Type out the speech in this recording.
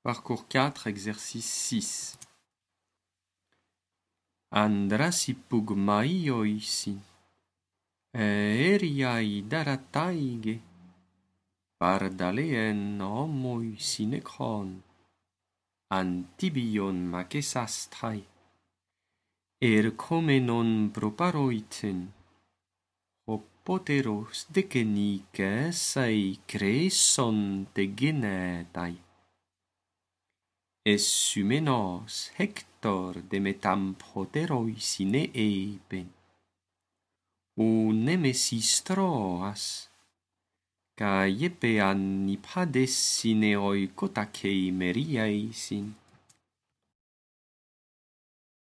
Parcours 4, exercice 6. Andrasi pugmaioisi, eriai darataige, pardalien homoi sinekron, antibion makesastai, erkomenon proparoiten, hopoteros dekenikesai kreson tegenetai. Essumenos Hector de metamproteroi sine eipen. O nemesis Troas, ca iepe annipades sine oikotacei meriaisin.